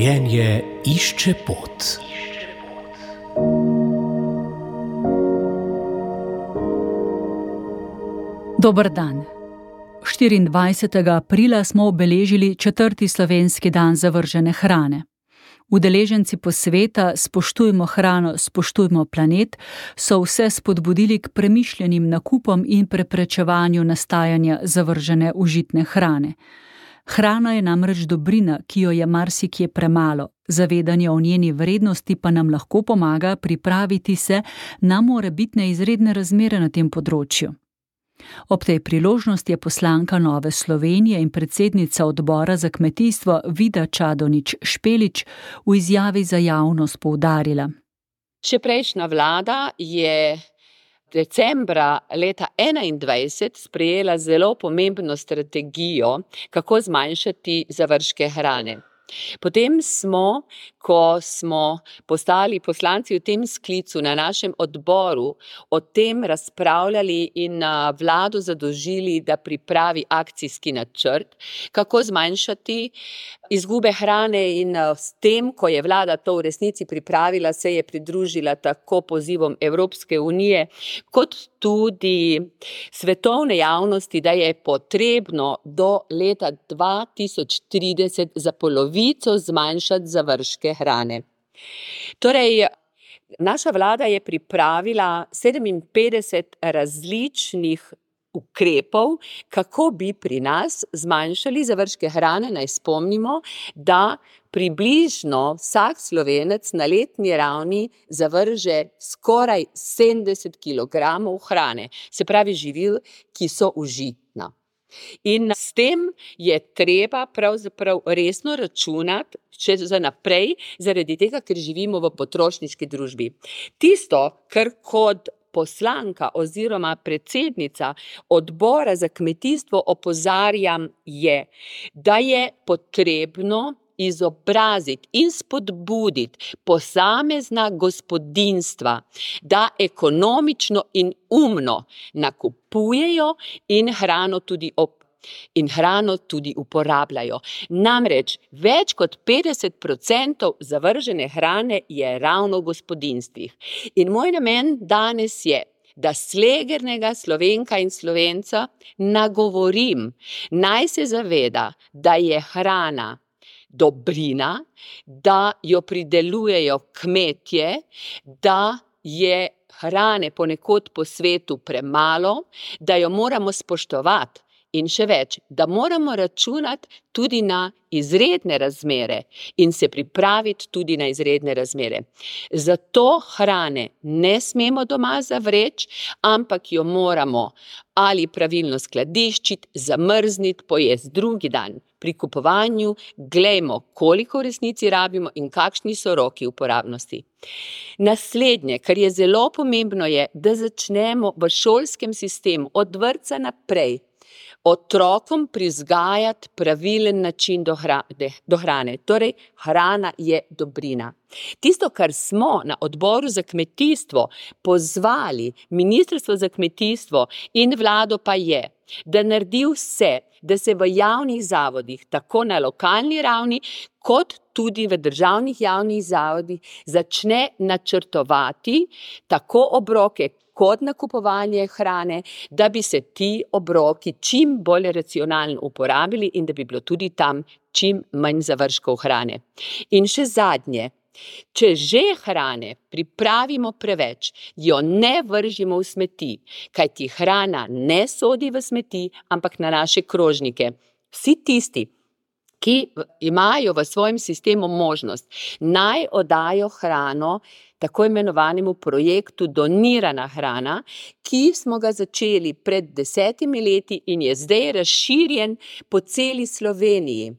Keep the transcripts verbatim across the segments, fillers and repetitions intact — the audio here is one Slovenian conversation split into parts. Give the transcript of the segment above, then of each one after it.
Življenje išče pot. Dober dan. štiriindvajsetega aprila smo obeležili četrti slovenski dan zavržene hrane. Udeleženci posveta Spoštujmo hrano, spoštujmo planet so vse spodbudili k premišljenim nakupom in preprečevanju nastajanja zavržene užitne hrane. Hrana je namreč dobrina, ki jo je marsikje premalo. Zavedanje o njeni vrednosti pa nam lahko pomaga pripraviti se na morebitne izredne razmere na tem področju. Ob tej priložnosti je poslanka Nove Slovenije in predsednica odbora za kmetijstvo Vida Čadonič Špelič v izjavi za javnost poudarila. Še prejšnja vlada je decembra leta enaindvajset sprejela zelo pomembno strategijo, kako zmanjšati zavržke hrane. Potem smo, ko smo postali poslanci v tem sklicu na našem odboru, o tem razpravljali in vlado zadolžili, da pripravi akcijski načrt, kako zmanjšati izgube hrane, in s tem, ko je vlada to v resnici pripravila, se je pridružila tako pozivom Evropske unije, kot tudi svetovne javnosti, da je potrebno do leta dva tisoč trideset za polovico zmanjšati zavržke hrane. Torej, naša vlada je pripravila sedeminpetdeset različnih ukrepov, kako bi pri nas zmanjšali zavržke hrane. Naj spomnimo, da približno vsak Slovenec na letni ravni zavrže skoraj sedemdeset kilogramov hrane, se pravi živil, ki so užitna. In s tem je treba pravzaprav resno računati še za naprej, zaradi tega, ker živimo v potrošniški družbi. Tisto, kar kot poslanka oziroma predsednica odbora za kmetijstvo opozarjam, je, da je potrebno izobraziti in spodbuditi posamezna gospodinjstva, da ekonomično in umno nakupujejo in hrano tudi op in hrano tudi uporabljajo. Namreč več kot petdeset procentov zavržene hrane je ravno v gospodinjstvih. In moj namen danes je, da slegernega Slovenka in Slovenca nagovorim, naj se zaveda, da je hrana dobrina, da jo pridelujejo kmetje, da je hrane ponekod po svetu premalo, da jo moramo spoštovati. In še več, da moramo računati tudi na izredne razmere in se pripraviti tudi na izredne razmere. Zato hrane ne smemo doma zavreči, ampak jo moramo ali pravilno skladiščiti, zamrzniti, pojesti drugi dan. Pri kupovanju glejmo, koliko v resnici rabimo in kakšni so roki uporabnosti. Naslednje, kar je zelo pomembno, je, da začnemo v šolskem sistemu od vrtca naprej otrokom prizgajati pravilen način do hrane, do hrane. Torej, hrana je dobrina. Tisto, kar smo na odboru za kmetijstvo pozvali Ministrstvo za kmetijstvo in vlado, pa je, da naredi vse, da se v javnih zavodih, tako na lokalni ravni, kot tudi v državnih javnih zavodih, začne načrtovati tako obroke, kot nakupovanje hrane, da bi se ti obroki čim bolj racionalno uporabili in da bi bilo tudi tam čim manj zavržkov hrane. In še zadnje, če že hrane pripravimo preveč, jo ne vržimo v smeti, kajti hrana ne sodi v smeti, ampak na naše krožnike. Vsi tisti, ki imajo v svojem sistemu možnost, naj oddajo hrano tako imenovanemu projektu Donirana hrana, ki smo ga začeli pred desetimi leti in je zdaj razširjen po celi Sloveniji.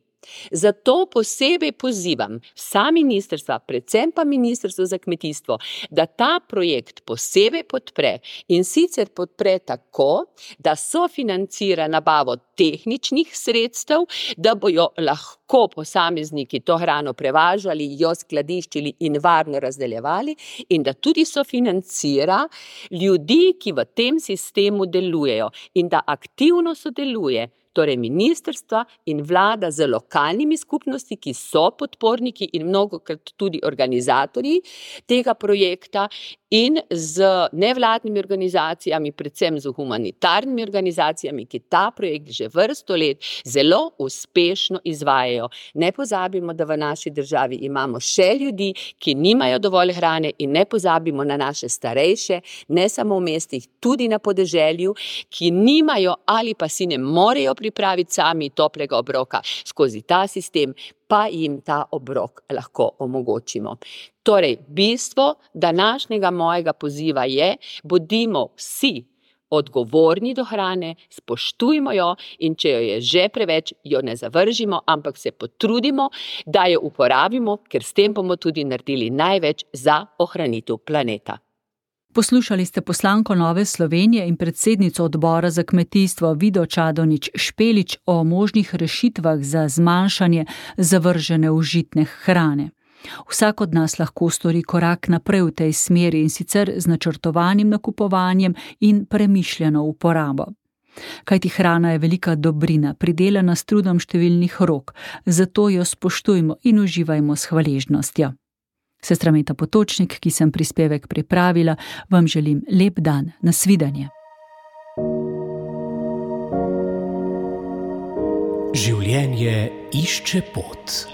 Zato posebej pozivam vsa ministrstva, predvsem pa Ministrstvo za kmetijstvo, da ta projekt posebej podpre, in sicer podpre tako, da sofinancira nabavo tehničnih sredstev, da bojo lahko posamezniki to hrano prevažali, jo skladiščili in varno razdeljevali, in da tudi sofinancira ljudi, ki v tem sistemu delujejo, in da aktivno sodeluje Torej ministrstva in vlada z lokalnimi skupnosti, ki so podporniki in mnogokrat tudi organizatorji tega projekta, in z nevladnimi organizacijami, predvsem z humanitarnimi organizacijami, ki ta projekt že vrsto let zelo uspešno izvajajo. Ne pozabimo, da v naši državi imamo še ljudi, ki nimajo dovolj hrane, in ne pozabimo na naše starejše, ne samo v mestih, tudi na podeželju, ki nimajo ali pa si ne morejo pripraviti sami toplega obroka. Skozi ta sistem pa jim ta obrok lahko omogočimo. Torej, bistvo današnjega mojega poziva je: bodimo vsi odgovorni do hrane, spoštujmo jo, in če jo je že preveč, jo ne zavržimo, ampak se potrudimo, da jo uporabimo, ker s tem bomo tudi naredili največ za ohranitev planeta. Poslušali ste poslanko Nove Slovenije in predsednico odbora za kmetijstvo Vido Čadonič Špelič o možnih rešitvah za zmanjšanje zavržene užitne hrane. Vsak od nas lahko stori korak naprej v tej smeri, in sicer z načrtovanim nakupovanjem in premišljeno uporabo. Kajti hrana je velika dobrina, pridelana s trudom številnih rok, zato jo spoštujmo in uživajmo s hvaležnostjo. Sestra Meta Potočnik, ki sem prispevek pripravila, vam želim lep dan. Nasvidenje. Življenje išče pot.